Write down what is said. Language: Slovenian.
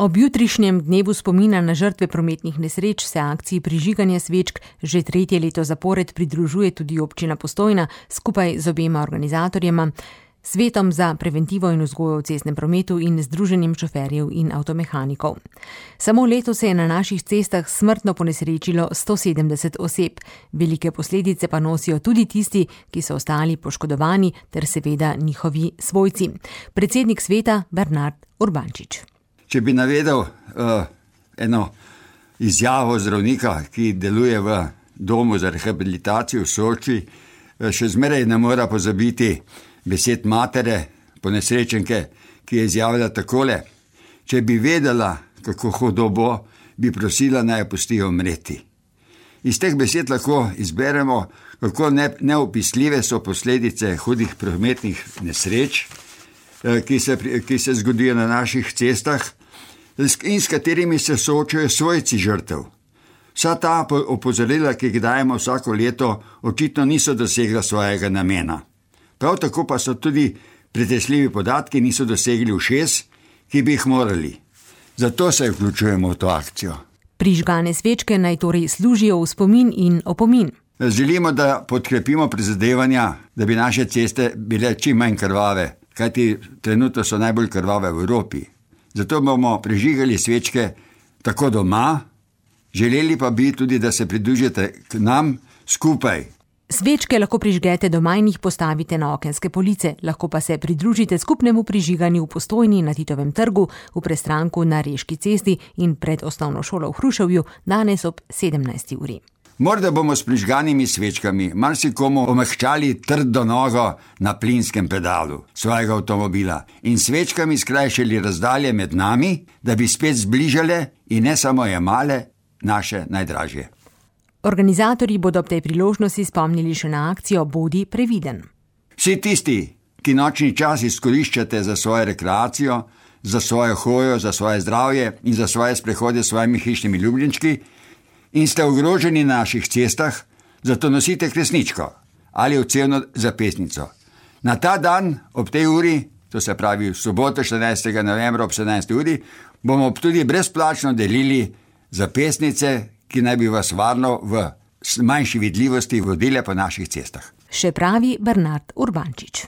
Ob jutrišnjem dnevu spomina na žrtve prometnih nesreč se akciji prižiganja svečk že 3. leto zapored pridružuje tudi občina Postojna skupaj z obema organizatorjema, Svetom za preventivo in vzgojo v cestnem prometu in Združenjem šoferjev in avtomehanikov. Samo letos se je na naših cestah smrtno ponesrečilo 170 oseb. Velike posledice pa nosijo tudi tisti, ki so ostali poškodovani, ter seveda njihovi svojci. Predsednik sveta Bernard Urbančič. Če bi navedel eno izjavo zdravnika, ki deluje v domu za rehabilitacijo v Soči, še zmeraj ne mora pozabiti besed matere, ponesrečenke, ki je izjavila takole: če bi vedela, kako hudo bo, bi prosila, naj jo pustijo umreti. Iz teh besed lahko izberemo, kako neopisljive so posledice hudih prometnih nesreč, ki se zgodijo na naših cestah in s katerimi se soočajo svojci žrtev. Vsa ta opozorila, ki jih dajemo vsako leto, očitno niso dosegla svojega namena. Prav tako pa so tudi pretresljivi podatki niso dosegli ušes, ki bi jih morali. Zato se vključujemo v to akcijo. Prižgane svečke naj torej služijo v spomin in opomin. Želimo, da podkrepimo prizadevanja, da bi naše ceste bile čim manj krvave, kajti trenutno so najbolj krvave v Evropi. Zato bomo prižigali svečke tako doma, želeli pa bi tudi, da se pridružite k nam skupaj. Svečke lahko prižgete doma in jih postavite na okenske police, lahko pa se pridružite skupnemu prižiganju v Postojni na Titovem trgu, v Prestranku na Reški cesti in pred osnovno šolo v Hruševju danes ob 17. uri. Morda bomo s prižganimi svečkami marsikomu omehčali trdo nogo na plinskem pedalu svojega avtomobila in svečkami skrajšali razdalje med nami, da bi spet zbližale in ne samo jemale naše najdražje. Organizatorji bodo ob tej priložnosti spomnili še na akcijo Bodi previden. Vsi tisti, ki nočni čas izkoriščate za svojo rekreacijo, za svojo hojo, za svoje zdravje in za svoje sprehode s svojimi hišnimi ljubljenčki in ste ogroženi na naših cestah, zato nosite kresničko ali odcevno zapestnico. Na ta dan ob tej uri, to se pravi v soboto 14. novembra ob 17. uri, bomo tudi brezplačno delili zapestnice, ki naj bi vas varno v manjši vidljivosti vodile po naših cestah. Še pravi Bernard Urbančič.